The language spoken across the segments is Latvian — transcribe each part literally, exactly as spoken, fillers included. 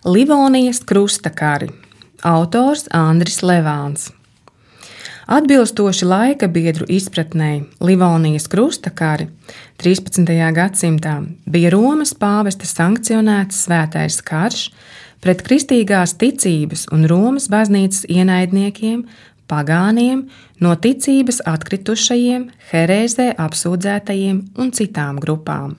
Livonijas krustakari. Autors Andris Levāns. Atbilstoši laika biedru izpratnei, Livonijas krustakari trīspadsmitajā gadsimtā bija Romas pāvesta sankcionēts svētais karš pret kristīgās ticības un Romas baznīcas ienaidniekiem, pagāniem, no ticības atkritušajiem, herēzē apsūdzētajiem un citām grupām.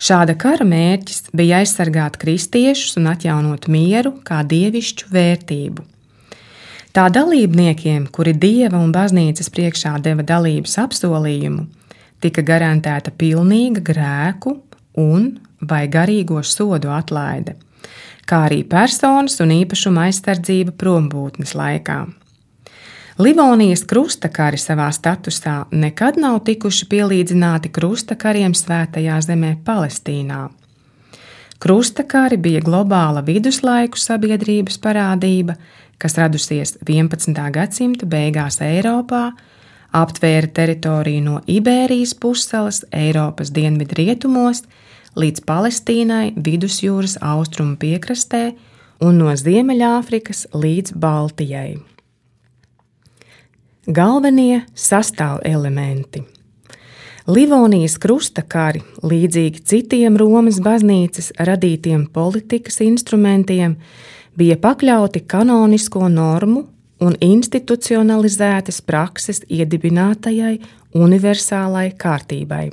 Šāda kara mērķis bija aizsargāt kristiešus un atjaunot mieru kā dievišķu vērtību. Tā dalībniekiem, kuri dieva un baznīcas priekšā deva dalības apsolījumu, tika garantēta pilnīga grēku un vai garīgo sodu atlaide, kā arī personas un īpašuma aizsardzība prombūtnes laikā. Livonijas krustakari savā statusā nekad nav tikuši pielīdzināti krustakariem svētajā zemē Palestīnā. Krustakari bija globāla viduslaiku sabiedrības parādība, kas radusies vienpadsmitā gadsimta beigās Eiropā, aptvēra teritoriju no Ibērijas pussalas Eiropas dienvidrietumos līdz Palestīnai vidusjūras austrumu piekrastē un no Ziemeļāfrikas līdz Baltijai. Galvenie sastāvelementi. Livonijas krustakari, līdzīgi citiem Romas baznīcas radītiem politikas instrumentiem, bija pakļauti kanonisko normu un institucionalizētas prakses iedibinātajai universālai kārtībai.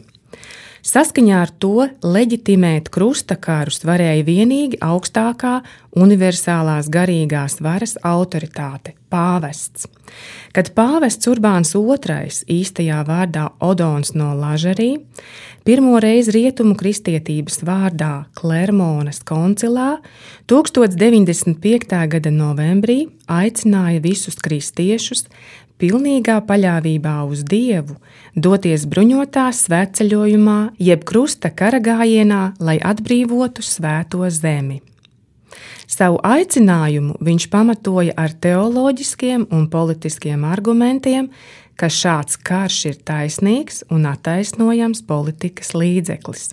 Saskaņā ar to leģitimēt krustakarus varēja vienīgi augstākā universālās garīgās varas autoritāte – pāvests. Kad pāvests Urbāns otrais, īstajā vārdā Odons no Lažarī, pirmo reizi rietumu kristietības vārdā Klermonas koncilā tūkstoš deviņdesmit piektā gada novembrī aicināja visus kristiešus pilnīgā paļāvībā uz Dievu doties bruņotā svētceļojumā jeb krusta karagājienā, lai atbrīvotu svēto zemi. Savu aicinājumu viņš pamatoja ar teoloģiskiem un politiskiem argumentiem, ka šāds karš ir taisnīgs un attaisnojams politikas līdzeklis.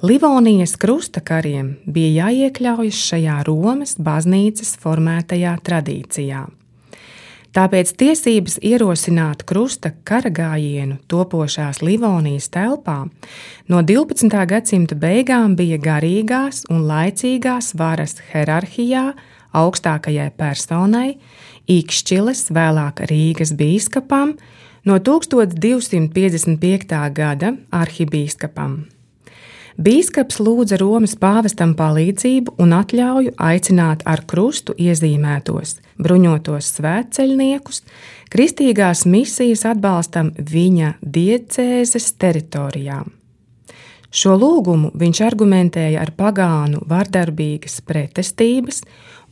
Livonijas krustakariem bija jāiekļaujas šajā Romas baznīcas formētajā tradīcijā. Tāpēc tiesības ierosināt krusta karagājienu topošās Livonijas telpā no divpadsmitā gadsimta beigām bija garīgās un laicīgās varas hierarhijā augstākajai personai, Ikšķiles, vēlāk Rīgas bīskapam, no tūkstoš divsimt piecdesmit piektā gada arhibīskapam. Bīskaps lūdza Romas pāvestam palīdzību un atļauju aicināt ar krustu iezīmētos bruņotos svētceļniekus kristīgās misijas atbalstam viņa diecēzes teritorijām. Šo lūgumu viņš argumentēja ar pagānu vardarbīgas pretestības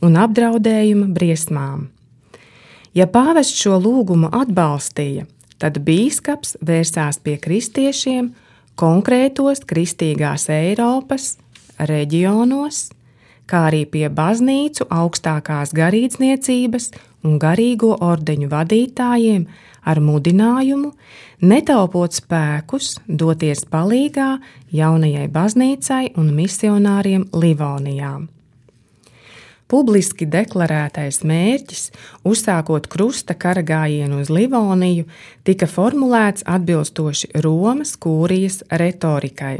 un apdraudējuma briesmām. Ja pāvests šo lūgumu atbalstīja, tad bīskaps vērsās pie kristiešiem konkrētos kristīgās Eiropas reģionos, kā arī pie baznīcu augstākās garīdzniecības un garīgo ordeņu vadītājiem ar mudinājumu netaupot spēkus doties palīgā jaunajai baznīcai un misionāriem Livonijā. Publiski deklarētais mērķis, uzsākot krusta karagājienu uz Livoniju, tika formulēts atbilstoši Romas kūrijas retorikai.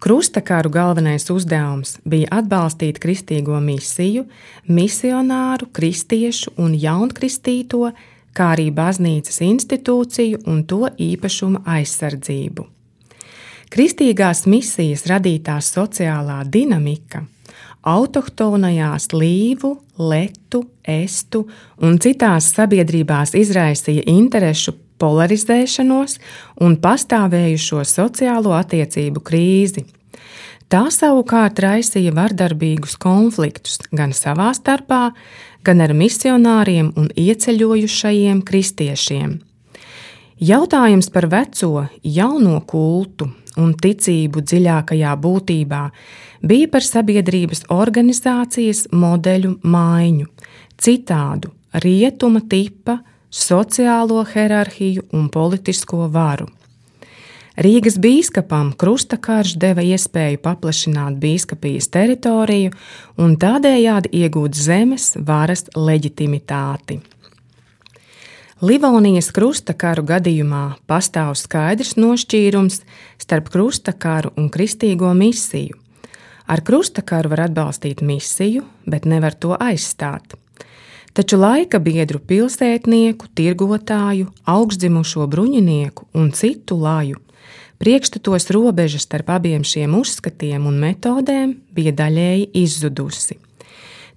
Krustakaru galvenais uzdevums bija atbalstīt kristīgo misiju, misionāru, kristiešu un jaunkristīto, kā arī baznīcas institūciju un to īpašuma aizsardzību. Kristīgās misijas radītā sociālā dinamika autohtonajās līvu, letu, estu un citās sabiedrībās izraisīja interešu polarizēšanos un pastāvējušo sociālo attiecību krīzi. Tā savukārt raisīja vardarbīgus konfliktus gan savā starpā, gan ar misionāriem un ieceļojušajiem kristiešiem. Jautājums par veco, jauno kultu un ticību dziļākajā būtībā bija par sabiedrības organizācijas modeļu maiņu, citādu rietuma tipa, sociālo hierarhiju un politisko varu. Rīgas bīskapam krustakarš deva iespēju paplašināt bīskapijas teritoriju un tādējādi iegūt zemes varas leģitimitāti. Livonijas krustakaru gadījumā pastāv skaidrs nošķīrums starp krustakaru un kristīgo misiju. Ar krustakaru var atbalstīt misiju, bet nevar to aizstāt. Taču laika biedru pilsētnieku, tirgotāju, augstdzimušo bruņinieku un citu laju priekšstatos robeža starp abiem šiem uzskatiem un metodēm bija daļēji izzudusi.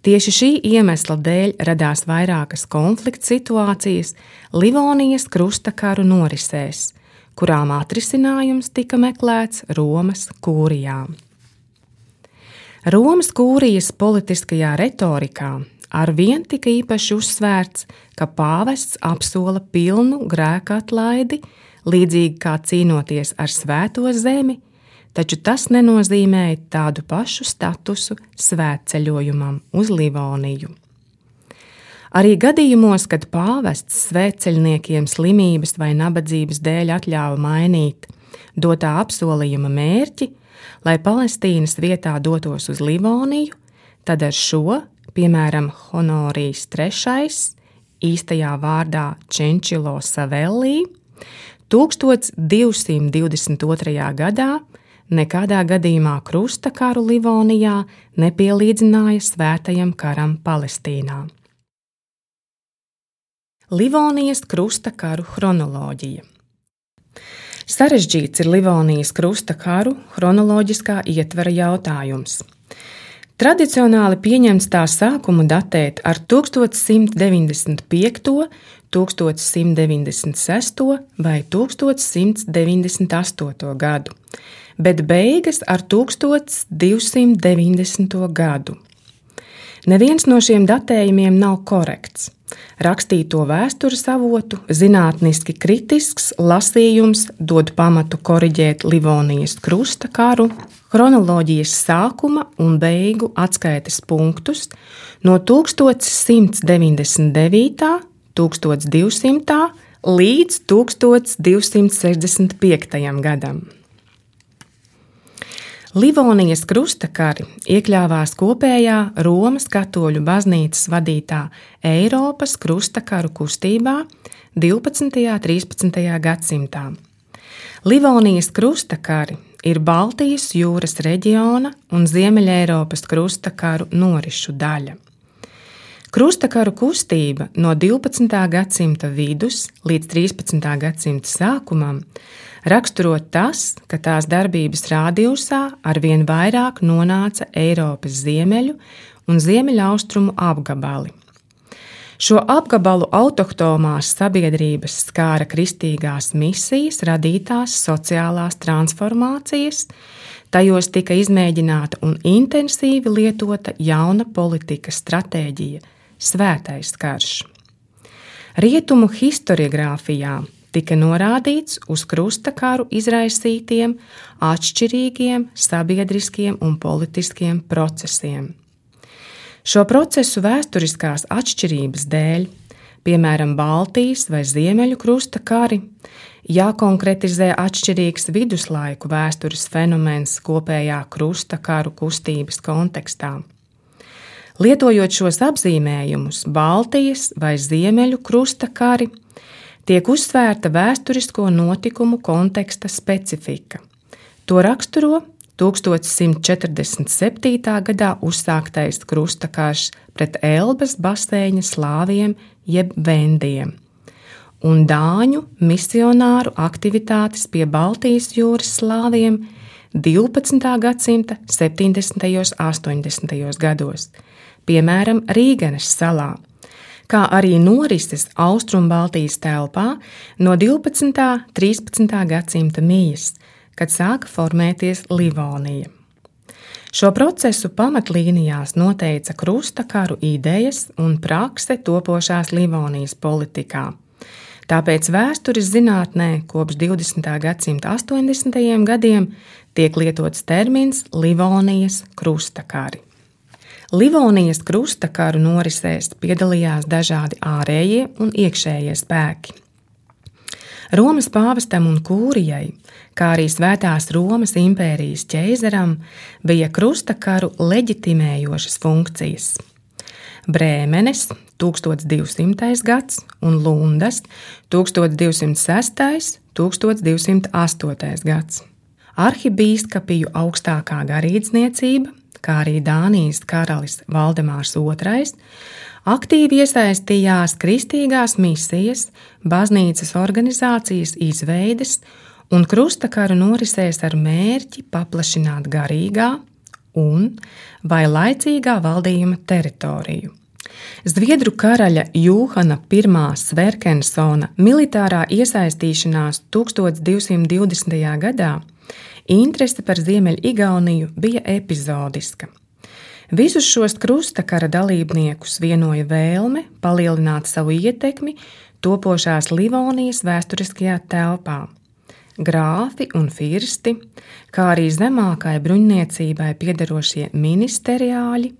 Tieši šī iemesla dēļ radās vairākas konflikta situācijas Livonijas krustakaru norisēs, kurām atrisinājums tika meklēts Romas kūrijā. Romas kūrijas politiskajā retorikā arvien tika īpaši uzsvērts, ka pāvests apsola pilnu grēka atlaidi, līdzīgi kā cīnoties ar svēto zemi, taču tas nenozīmēja tādu pašu statusu svētceļojumam uz Livoniju. Arī gadījumos, kad pāvests svētceļniekiem slimības vai nabadzības dēļ atļāva mainīt dotā apsolījuma mērķi, lai Palestīnas vietā dotos uz Livoniju, tad ar šo, piemēram, Honorijs trešais, īstajā vārdā Čenčilo Savellī, tūkstoš divsimt divdesmit otrajā gadā nekādā gadījumā krustakaru Livonijā nepielīdzināja svētajam karam Palestīnā. Livonijas krustakaru chronoloģija. Sarežģīts ir Livonijas krustakaru chronoloģiskā ietvara jautājums. Tradicionāli pieņemts tā sākumu datēt ar tūkstoš simt deviņdesmit piekto, tūkstoš simt deviņdesmit sesto vai tūkstoš simt deviņdesmit astoto gadu, bet beigas ar tūkstoš divsimt deviņdesmito gadu. Neviens no šiem datējumiem nav korekts. Rakstīto vēstures avotu zinātniski kritisks lasījums dod pamatu koriģēt Livonijas krustakaru, chronoloģijas sākuma un beigu atskaites punktus no tūkstoš simt deviņdesmit devītā, tūkstoš divsimtā līdz tūkstoš divsimt sešdesmit piektajam gadam. Livonijas krustakari iekļāvās kopējā Romas katoļu baznīcas vadītā Eiropas krustakaru kustībā divpadsmitajā un trīspadsmitajā gadsimtā. Livonijas krustakari ir Baltijas jūras reģiona un Ziemeļeiropas krustakaru norišu daļa. Krustakaru kustība no divpadsmitā gadsimta vidus līdz trīspadsmitā gadsimta sākumam raksturo tas, ka tās darbības rādījusā arvien vairāk nonāca Eiropas ziemeļu un ziemeļaustrumu apgabali. Šo apgabalu autohtomās sabiedrības skāra kristīgās misijas radītās sociālās transformācijas, tajos tika izmēģināta un intensīvi lietota jauna politikas stratēģija – svētais karš. Rietumu historiogrāfijā tika norādīts uz krustakaru izraisītiem, atšķirīgiem sabiedriskiem un politiskiem procesiem. Šo procesu vēsturiskās atšķirības dēļ, piemēram, Baltijas vai Ziemeļu krustakari, jākonkretizē atšķirīgs viduslaiku vēstures fenomens kopējā krustakaru kustības kontekstā. Lietojot šos apzīmējumus Baltijas vai Ziemeļu krustakari, tiek uzsvērta vēsturisko notikumu konteksta specifika. To raksturo tūkstoš simt četrdesmit septītā gadā uzsāktais krustakarš pret Elbas baseina slāviem jeb vendiem un dāņu misionāru aktivitātes pie Baltijas jūras slāviem divpadsmitā gadsimta septiņdesmitajos un astoņdesmitajos gados, piemēram, Rīgenes salā, kā arī norises Austrumbaltijas telpā no divpadsmitā un trīspadsmitā gadsimta mijas, kad sāka formēties Livonija. Šo procesu pamatlīnijās noteica krustakaru idejas un prakse topošās Livonijas politikā. Tāpēc vēstures zinātnē kopš divdesmitā gadsimta astoņdesmitajiem gadiem tiek lietots termins Livonijas krustakari. Livonijas krustakaru norisēs piedalījās dažādi ārējie un iekšējie spēki. Romas pāvestam un kūrijai, kā arī Svētās Romas impērijas ķeizaram, bija krustakaru leģitimējošas funkcijas. Brēmenes tūkstoš divsimtais gads un Lundas tūkstoš divsimt sestais - tūkstoš divsimt astotais gads. Arhibīskapiju augstākā garīdzniecība, kā arī Dānijas karalis Valdemārs otrais, aktīvi iesaistījās kristīgās misijas, baznīcas organizācijas izveides un krustakaru norisēs ar mērķi paplašināt garīgā un vai laicīgā valdījuma teritoriju. Zviedru karaļa Jūhana pirmā Sverkensona militārā iesaistīšanās tūkstoš divsimt divdesmitajā gadā interese par Ziemeļigauniju bija epizodiska. Visus šos krustakara dalībniekus vienoja vēlme palielināt savu ietekmi topošās Livonijas vēsturiskajā telpā. Grāfi un firsti, kā arī zemākai bruņniecībai piederošie ministeriāļi,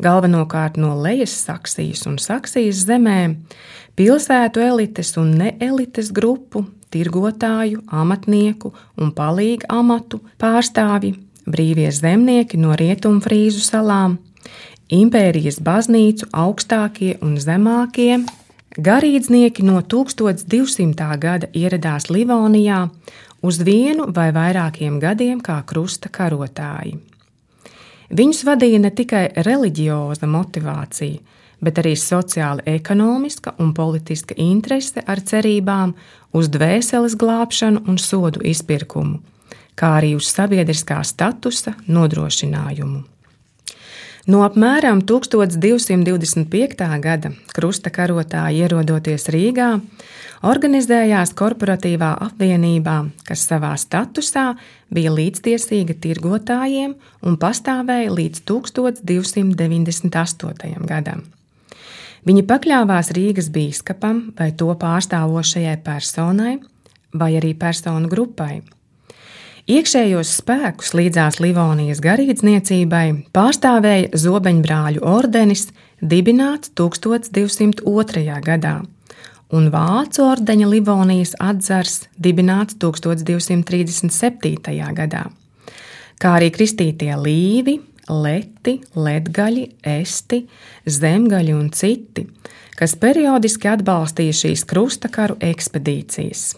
galvenokārt no Lejas Saksijas un Saksijas zemēm, pilsētu elites un neelites grupu, tirgotāju, amatnieku un palīgu amatu pārstāvji, brīvie zemnieki no Rietumfrīzu salām, impērijas baznīcu augstākie un zemākie, garīdznieki no tūkstoš divsimtā gada ieradās Livonijā uz vienu vai vairākiem gadiem kā krusta karotāji. Viņus vadīja ne tikai reliģioza motivācija, bet arī sociāli ekonomiska un politiska interese ar cerībām uz dvēseles glābšanu un sodu izpirkumu, kā arī uz sabiedriskā statusa nodrošinājumu. No apmēram tūkstoš divsimt divdesmit piektā gada krusta karotāji ierodoties Rīgā, organizējās korporatīvā apvienībā, kas savā statusā bija līdztiesīga tirgotājiem un pastāvēja līdz tūkstoš divsimt deviņdesmit astotajam gadam. Viņi pakļāvās Rīgas bīskapam vai to pārstāvošajai personai vai arī personu grupai. Iekšējos spēkus līdzās Livonijas garīdzniecībai pārstāvēja Zobeņbrāļu ordenis, dibināts tūkstoš divsimt otrajā gadā, un Vācu ordeņa Livonijas atzars, dibināts tūkstoš divsimt trīsdesmit septītajā gadā, kā arī kristītie līvi, leti, ledgaļi, esti, zemgaļi un citi, kas periodiski atbalstīja šīs krustakaru ekspedīcijas.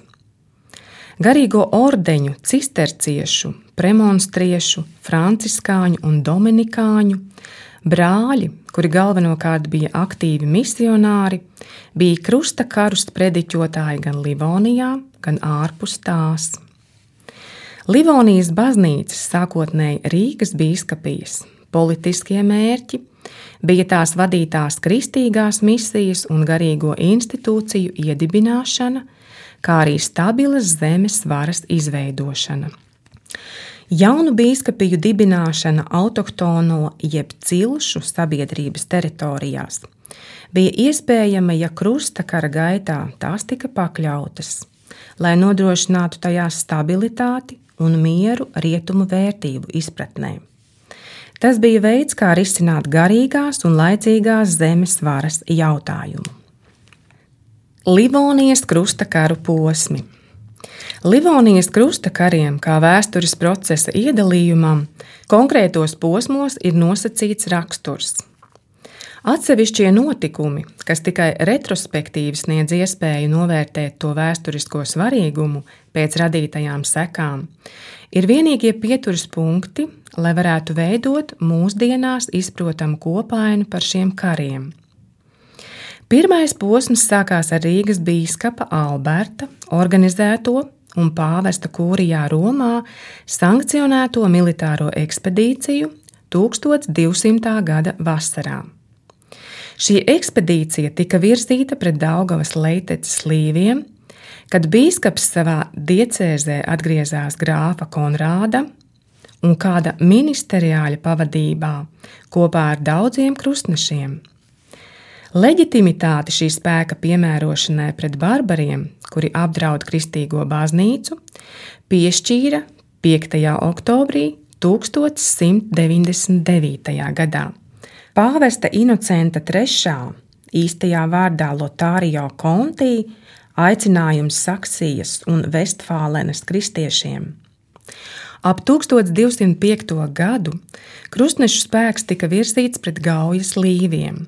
Garīgo ordeņu, cisterciešu, premonstriešu, franciskāņu un dominikāņu brāļi, kuri galvenokārt bija aktīvi misionāri, bija krustakarus prediķotāji gan Livonijā, gan ārpus tās. Livonijas baznīcas, sākotnēji Rīgas bīskapijas, politiskie mērķi bija tās vadītās kristīgās misijas un garīgo institūciju iedibināšana, kā arī stabilas zemes varas izveidošana. Jaunu bīskapiju dibināšana autohtono jeb cilšu sabiedrības teritorijās bija iespējama, ja krustakara gaitā tās tika pakļautas, lai nodrošinātu tajās stabilitāti un mieru rietumu vērtību izpratnē. Tas bija veids, kā risināt garīgās un laicīgās zemes varas jautājumu. Livonijas krustakaru posmi. Livonijas krustakariem, kā vēstures procesa iedalījumam, konkrētos posmos ir nosacīts raksturs. Atsevišķie notikumi, kas tikai retrospektīvi sniedz iespēju novērtēt to vēsturisko svarīgumu pēc radītajām sekām, ir vienīgie pieturas punkti, lai varētu veidot mūsdienās izprotamu kopainu par šiem kariem. Pirmais posms sākās ar Rīgas bīskapa Alberta organizēto un pāvesta kūrijā Romā sankcionēto militāro ekspedīciju tūkstoš divsimtā gada vasarā. Šī ekspedīcija tika virzīta pret Daugavas Leitecas līviem, kad bīskaps savā diecēzē atgriezās grāfa Konrāda un kāda ministeriāļa pavadībā kopā ar daudziem krustnešiem. Leģitimitāti šī spēka piemērošanai pret barbariem, kuri apdraud kristīgo baznīcu, piešķīra piektajā oktobrī tūkstoš simt deviņdesmit devītajā gadā. Pāvesta Inocenta trešā, īstajā vārdā Lotārio Kontī, aicinājums Saksijas un Vestfālenes kristiešiem Ap tūkstoš divsimt piekto gadu krustnešu spēks tika virzīts pret Gaujas līviem.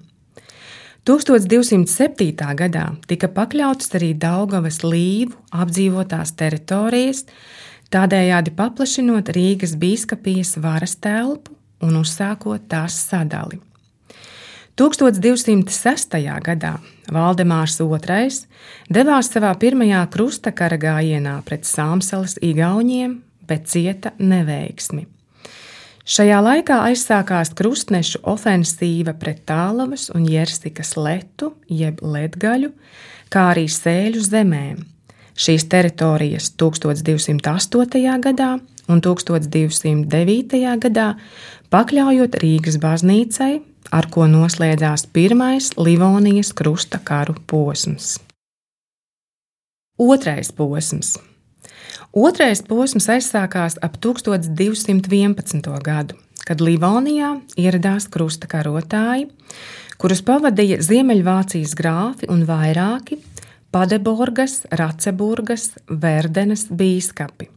tūkstoš divsimt septītā gadā tika pakļautas arī Daugavas līvu apdzīvotās teritorijas, tādējādi paplašinot Rīgas bīskapijas varas telpu un uzsākot tās sadali. tūkstoš divsimt sestajā gadā Valdemārs otrais devās savā pirmajā krustakara gājienā pret Sāmsalas igauņiem, bet cieta neveiksmi. Šajā laikā aizsākās krustnešu ofensīva pret Tālavas un Jersikas letu, jeb Ledgaļu, kā arī Sēļu zemēm. Šīs teritorijas tūkstoš divsimt astotajā gadā un tūkstoš divsimt devītajā gadā pakļaujot Rīgas baznīcai, ar ko noslēdzās pirmais Livonijas krusta karu posms. Otrais posms. Otrais posms aizsākās ap tūkstoš divsimt vienpadsmito gadu, kad Livonijā ieradās krusta karotāji, kurus pavadīja Ziemeļvācijas grāfi un vairāki Padeborgas, Raceburgas, Verdenes bīskapi.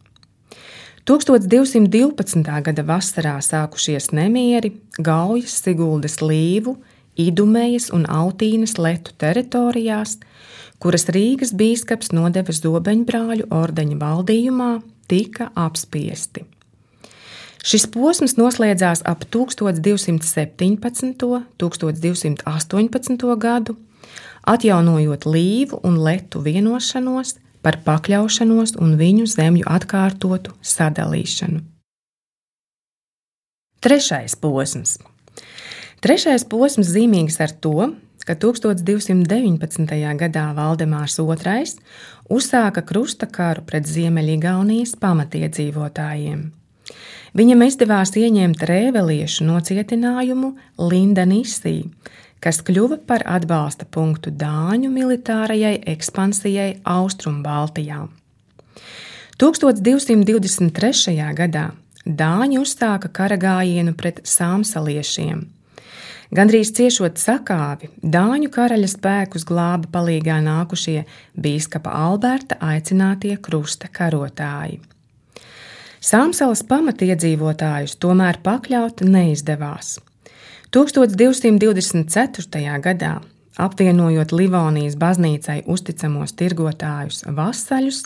tūkstoš divsimt divpadsmitā gada vasarā sākušies nemieri Gaujas, Siguldas līvu, Idumejas un Autīnas letu teritorijās, kuras Rīgas bīskaps nodeva Zobeņbrāļu ordeņa valdījumā, tika apspiesti. Šis posms noslēdzās ap tūkstoš divsimt septiņpadsmito - tūkstoš divsimt astoņpadsmito gadu, atjaunojot līvu un letu vienošanos par pakļaušanos un viņu zemju atkārtotu sadalīšanu. Trešais posms. Trešais posms zīmīgs ar to, ka tūkstoš divsimt deviņpadsmitajā gadā Valdemārs otrais uzsāka krusta karu pret Ziemeļigaunijas pamatiedzīvotājiem. Viņam izdevās ieņemt rēveliešu nocietinājumu Lindanisī, kas kļuva par atbalsta punktu Dāņu militārajai ekspansijai Austrumbaltijā. tūkstoš divsimt divdesmit trešajā gadā Dāņi uzsāka karagājienu pret sāmsaliešiem. Gandrīz ciešot sakāvi, Dāņu karaļa spēkus glāba palīgā nākušie bīskapa Alberta aicinātie krusta karotāji. Sāmsalas pamatiedzīvotājus tomēr pakļaut neizdevās. tūkstoš divsimt divdesmit ceturtajā gadā, apvienojot Livonijas baznīcai uzticamos tirgotājus vasaļus,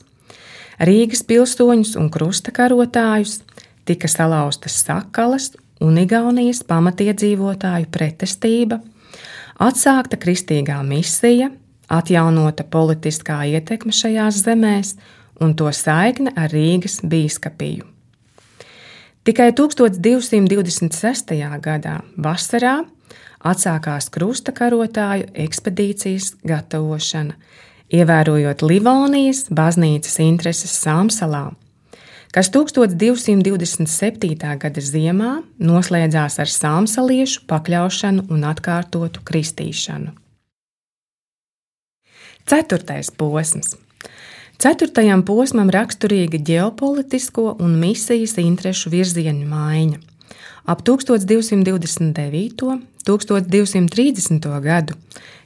Rīgas pilsoņus un krusta karotājus, tika salauztas sakalas un Igaunijas pamatiedzīvotāju pretestība, atsākta kristīgā misija, atjaunota politiskā ietekme šajās zemēs un to saikne ar Rīgas bīskapiju. Tikai tūkstoš divsimt divdesmit sestajā gadā vasarā atsākās krusta karotāju ekspedīcijas gatavošana, ievērojot Livonijas baznīcas intereses Sāmsalā, kas tūkstoš divsimt divdesmit septītā gada ziemā noslēdzās ar sāmsaliešu pakļaušanu un atkārtotu kristīšanu. Ceturtais posms. Ceturtajam posmam raksturīga ģeopolitisko un misijas interešu virzienu maiņa. Ap tūkstoš divsimt divdesmit devīto - tūkstoš divsimt trīsdesmito gadu,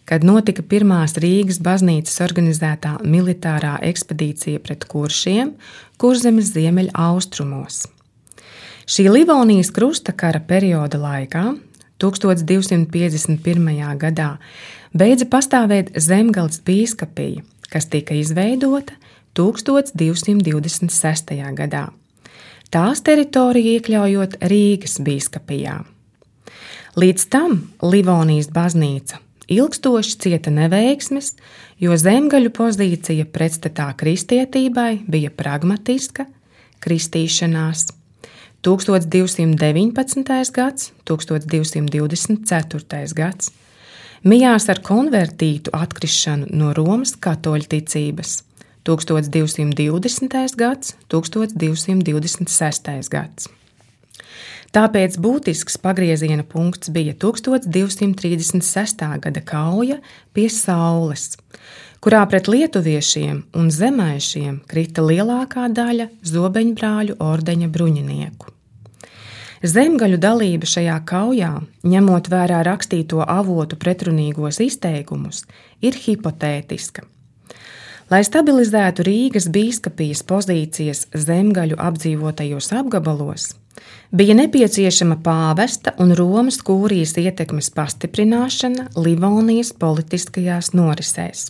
kad notika pirmās Rīgas baznīcas organizētā militārā ekspedīcija pret kuršiem Kurzemes ziemeļa austrumos. Šī Livonijas krusta kara perioda laikā, tūkstoš divsimt piecdesmit pirmajā gadā, beidza pastāvēt Zemgales bīskapija, kas tika izveidota tūkstoš divsimt divdesmit sestajā gadā. Tās teritoriju iekļaujot Rīgas bīskapijā. Līdz tam Livonijas baznīca ilgstoši cieta neveiksmes, jo zemgaļu pozīcija pretstatā kristietībai bija pragmatiska kristīšanās. tūkstoš divsimt deviņpadsmitais gads, tūkstoš divsimt divdesmit ceturtais gads mijās ar konvertītu atkrišanu no Romas katoļu ticības. tūkstoš divsimt divdesmitais gads, tūkstoš divsimt divdesmit sestais gads. Tāpēc būtisks pagrieziena punkts bija tūkstoš divsimt trīsdesmit sestā gada kauja pie Saules, kurā pret lietuviešiem un zemaišiem krita lielākā daļa Zobeņbrāļu ordeņa bruņinieku. Zemgaļu dalība šajā kaujā, ņemot vērā rakstīto avotu pretrunīgos izteikumus, ir hipotētiska. Lai stabilizētu Rīgas bīskapijas pozīcijas zemgaļu apdzīvotajos apgabalos, bija nepieciešama pāvesta un Romas kūrijas ietekmes pastiprināšana Livonijas politiskajās norisēs.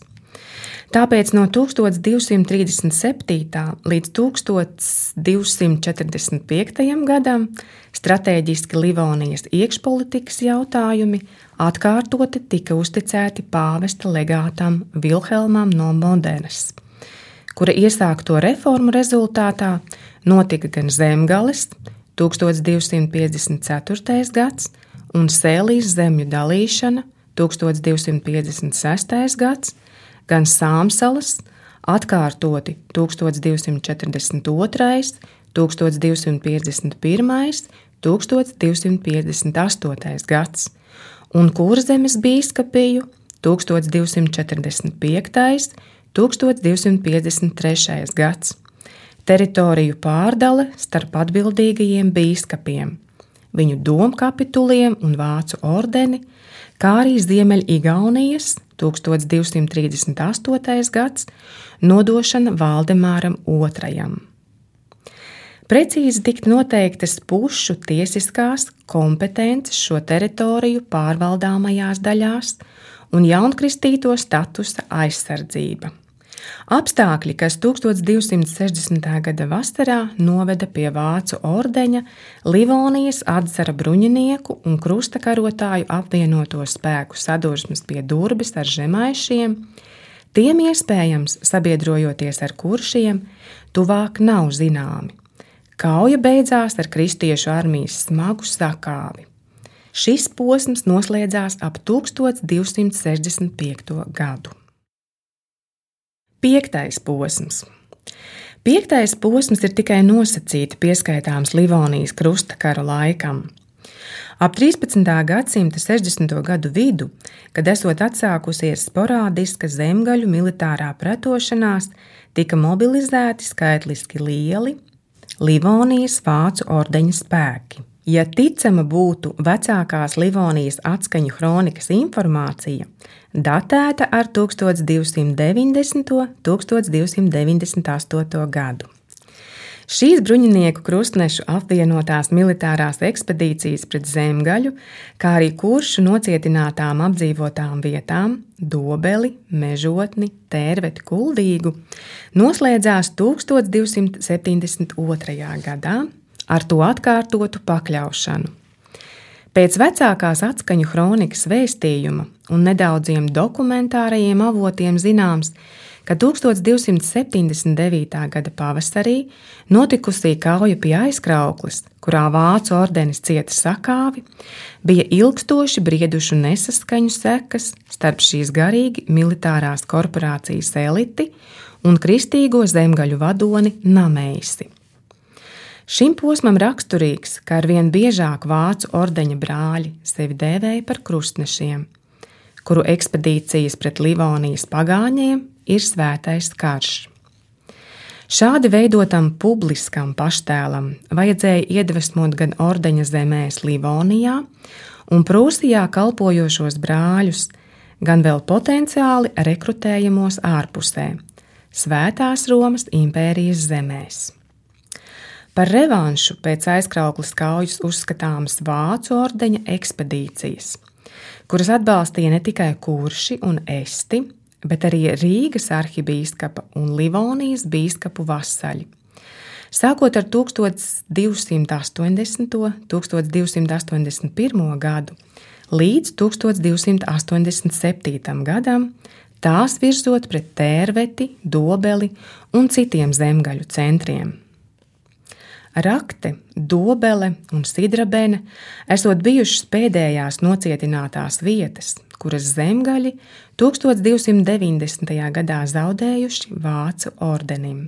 Tāpēc no tūkstoš divsimt trīsdesmit septītā līdz tūkstoš divsimt četrdesmit piektajam gadam stratēģiski Livonijas iekšpolitikas jautājumi atkārtoti tika uzticēti pāvesta legātam Vilhelmam no Modenas, kura iesākto reformu rezultātā notika gan Zemgales tūkstoš divsimt piecdesmit ceturtais gads un Sēlijas zemju dalīšana tūkstoš divsimt piecdesmit sestais gads, gan Sāmsalas atkārtoti tūkstoš divsimt četrdesmit otrais, tūkstoš divsimt piecdesmit pirmais, tūkstoš divsimt piecdesmit astotais gads un Kurzemes bīskapiju tūkstoš divsimt četrdesmit piektais, tūkstoš divsimt piecdesmit trešais gads. Teritoriju pārdale starp atbildīgajiem bīskapiem, viņu domkapituliem un vācu ordeni, kā arī Ziemeļigaunijas tūkstoš divsimt trīsdesmit astotais gads nodošana Valdemāram otrajam. Precīzi tika noteiktas pušu tiesiskās kompetences šo teritoriju pārvaldāmajās daļās un jaunkristīto statusa aizsardzība. Apstākļi, kas tūkstoš divsimt sešdesmitā gada vasarā noveda pie vācu ordeņa, Livonijas atzara bruņinieku un krustakarotāju apvienoto spēku sadursmes pie Durbes ar žemaišiem, tiem iespējams sabiedrojoties ar kuršiem, tuvāk nav zināmi. Kauja beidzās ar kristiešu armijas smagu sakāvi. Šis posms noslēdzās ap tūkstoš divsimt sešdesmit piekto gadu. Piektais posms. Piektais posms ir tikai nosacīti pieskaitāms Livonijas krustakaru laikam. Ap trīspadsmitā gadsimta sešdesmito gadu vidu, kad esot atsākusies sporādiska zemgaļu militārā pretošanās, tika mobilizēti skaitliski lieli Livonijas vācu ordeņa spēki. Ja ticama būtu vecākās Livonijas atskaņu hronikas informācija, datēta ar tūkstoš divsimt deviņdesmito un tūkstoš divsimt deviņdesmit astoto gadu. Šīs bruņinieku krustnešu apvienotās militārās ekspedīcijas pret zemgaļu, kā arī kuršu nocietinātām apdzīvotām vietām Dobeli, Mežotni, Tērveti, Kuldīgu, noslēdzās tūkstoš divsimt septiņdesmit otrajā gadā ar to atkārtotu pakļaušanu. Pēc vecākās atskaņu hronikas vēstījuma un nedaudziem dokumentārajiem avotiem zināms, ka tūkstoš divsimt septiņdesmit devītā gada pavasarī notikusī kauja pie Aizkraukles, kurā vācu ordenis cieta sakāvi, bija ilgstoši briedušu nesaskaņu sekas starp šīs garīgi militārās korporācijas eliti un kristīgo zemgaļu vadoni Nameisi. Šim posmam raksturīgs, ka arvien biežāk vācu ordeņa brāļi sevi dēvēja par krustnešiem, kuru ekspedīcijas pret Livonijas pagāņiem ir svētais karš. Šādi veidotam publiskam paštēlam vajadzēja iedvesmot gan ordeņa zemēs Livonijā un Prūsijā kalpojošos brāļus, gan vēl potenciāli rekrutējamos ārpusē, Svētās Romas impērijas zemēs. Par revanšu pēc Aizkraukles kaujas uzskatāmas vācu ordeņa ekspedīcijas, kuras atbalstīja ne tikai kurši un esti, bet arī Rīgas arhibīskapa un Livonijas bīskapu vasaļi. Sākot ar tūkstoš divsimt astoņdesmito un tūkstoš divsimt astoņdesmit pirmo gadu līdz tūkstoš divsimt astoņdesmit septītajam gadam, tās virzot pret Tērveti, Dobeli un citiem zemgaļu centriem. Rakte, Dobele un Sidrabene esot bijušas pēdējās nocietinātās vietas, kuras zemgaļi tūkstoš divsimt deviņdesmitajā gadā zaudējuši vācu ordenim.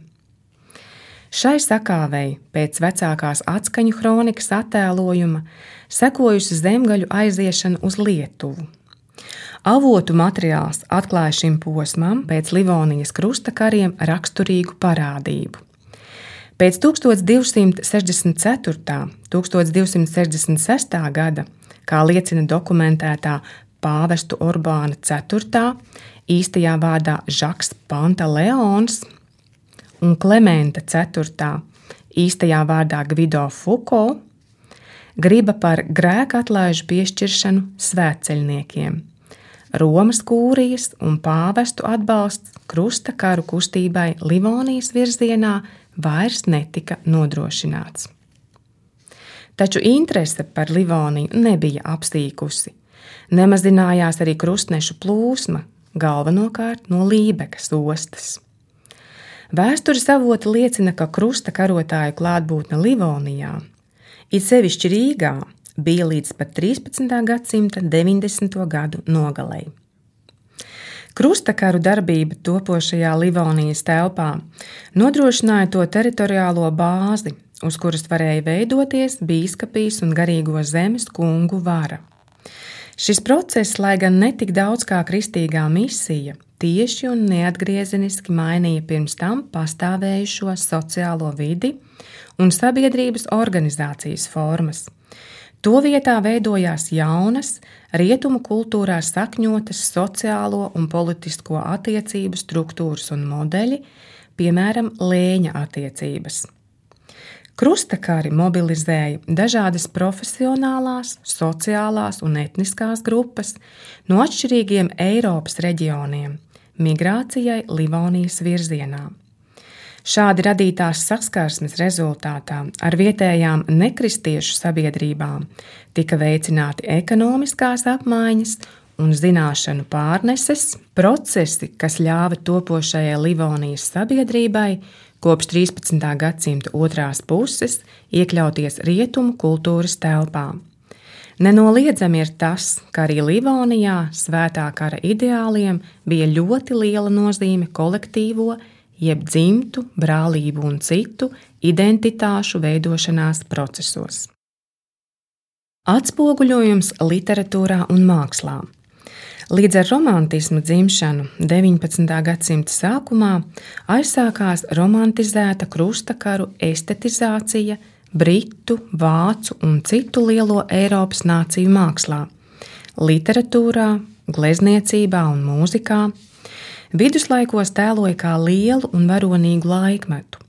Šai sakāvei pēc vecākās atskaņu hronikas attēlojuma sekojusi zemgaļu aiziešana uz Lietuvu. Avotu materiāls atklāja šim posmam pēc Livonijas krustakariem raksturīgu parādību. Pēc tūkstoš divsimt sešdesmit ceturtā un tūkstoš divsimt sešdesmit sestā gada, kā liecina dokumentētā pāvestu Urbāna ceturtā, īstajā vārdā Žaks Pantaleons, un Klementa ceturtā, īstajā vārdā Gvido Fuko, griba par grēka atlaižu piešķiršanu svētceļniekiem, Romas kūrijas un pāvestu atbalsts krusta karu kustībai Livonijas virzienā vairs netika nodrošināts. Taču interese par Livoniju nebija apsīkusi. Nemazinājās arī krustnešu plūsma, galvenokārt no Lībekas ostas. Vēstures avoti liecina, ka krusta karotāju klātbūtne Livonijā, it sevišķi Rīgā, bija līdz pat trīspadsmitā gadsimta deviņdesmito gadu nogalei. Krustakaru darbība topošajā Livonijas telpā nodrošināja to teritoriālo bāzi, uz kuras varēja veidoties bīskapijas un garīgo zemes kungu vara. Šis process, lai gan netik daudz kā kristīgā misija, tieši un neatgriezeniski mainīja pirms tam pastāvējušo sociālo vidi un sabiedrības organizācijas formas. To vietā veidojās jaunas, rietumu kultūrā sakņotas sociālo un politisko attiecību struktūras un modeļi, piemēram, lēņa attiecības. Krustakari mobilizēja dažādas profesionālās, sociālās un etniskās grupas no atšķirīgiem Eiropas reģioniem migrācijai Livonijas virzienā. Šādi radītās saskarsmes rezultātā ar vietējām nekristiešu sabiedrībām tika veicināti ekonomiskās apmaiņas un zināšanu pārneses procesi, kas ļāva topošajai Livonijas sabiedrībai kopš trīspadsmitā gadsimta otrās puses iekļauties rietumu kultūras telpā. Nenoliedzami ir tas, ka arī Livonijā svētā kara ideāliem bija ļoti liela nozīme kolektīvo, jeb dzimtu, brālību un citu identitāšu veidošanās procesos. Atspoguļojums literatūrā un mākslā. Līdz ar romantisma dzimšanu deviņpadsmitā gadsimta sākumā aizsākās romantizēta krustakaru estetizācija britu, vācu un citu lielo Eiropas nāciju mākslā, literatūrā, glezniecībā un mūzikā. Viduslaikos tēloja kā lielu un varonīgu laikmetu,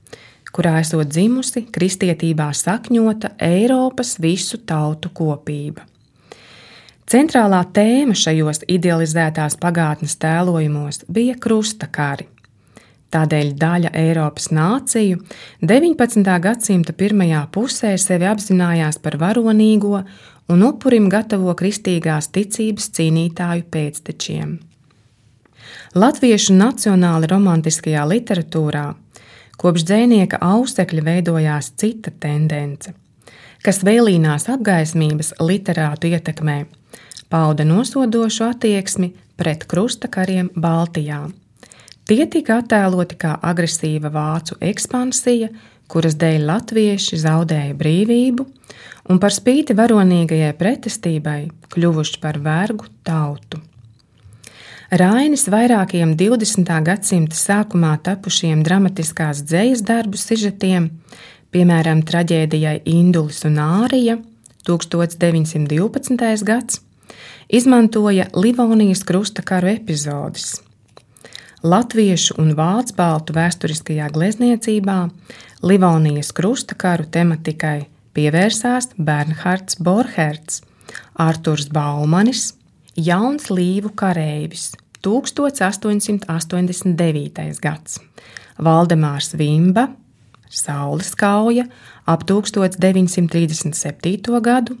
kurā esot dzimusi kristietībā sakņota Eiropas visu tautu kopība. Centrālā tēma šajos idealizētās pagātnes tēlojumos bija krustakari. Tādēļ daļa Eiropas nāciju deviņpadsmitā gadsimta pirmajā pusē sevi apzinājās par varonīgo un upurim gatavo kristīgās ticības cīnītāju pēctečiem. Latviešu nacionāli romantiskajā literatūrā kopš dzejnieka Ausekļa veidojās cita tendence, kas vēlīnās apgaismības literātu ietekmē, pauda nosodošu attieksmi pret krustakariem Baltijā. Tie tika attēloti kā agresīva vācu ekspansija, kuras dēļ latvieši zaudēja brīvību un par spīti varonīgajai pretestībai kļuvuši par vergu tautu. Rainis vairākiem divdesmitā gadsimta sākumā tapušiem dramatiskās dzejas darbu sižetiem, piemēram, traģēdijai Indulis un Ārija, tūkstoš deviņsimt divpadsmitais gads, izmantoja Livonijas krustakaru epizodes. Latviešu un vācu baltu vēsturiskajā glezniecībā Livonijas krustakaru tematikai pievērsās Bernhards Borcherds, Arturs Baumanis, Jauns Līvu kareivis, tūkstoš astoņsimt astoņdesmit devītais gads, Valdemārs Vimba, Saules kauja ap tūkstoš deviņsimt trīsdesmit septīto gadu,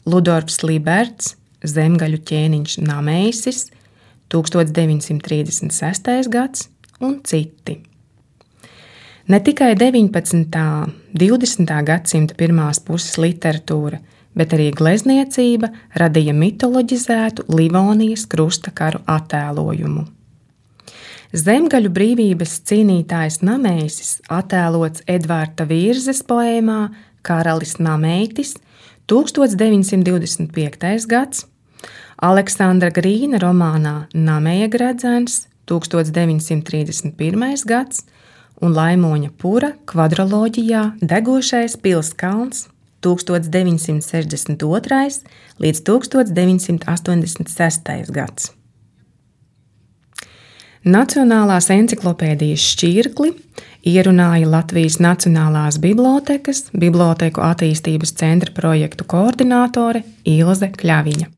Ludorfs Liberts, Zemgaļu ķēniņš Nameisis, tūkstoš deviņsimt trīsdesmit sestais gads un citi. Ne tikai deviņpadsmitā, divdesmitā gadsimta pirmās puses literatūra, bet arī glezniecība radīja mitoloģizētu Livonijas krustakaru attēlojumu. Zemgaļu brīvības cīnītājs Nameisis attēlots Edvarda Vīrzes poēmā Karalis Nameitis, tūkstoš deviņsimt divdesmit piektais gads, Aleksandra Grīna romānā Nameja gredzens, tūkstoš deviņsimt trīsdesmit pirmais gads un Laimoņa Pura kvadroloģijā Degošais pils kalns, tūkstoš deviņsimt sešdesmit otrais līdz tūkstoš deviņsimt astoņdesmit sestais gads. Nacionālās enciklopēdijas šķirkli ierunāja Latvijas Nacionālās bibliotēkas Bibliotēku attīstības centra projektu koordinātore Ilze Kļaviņa.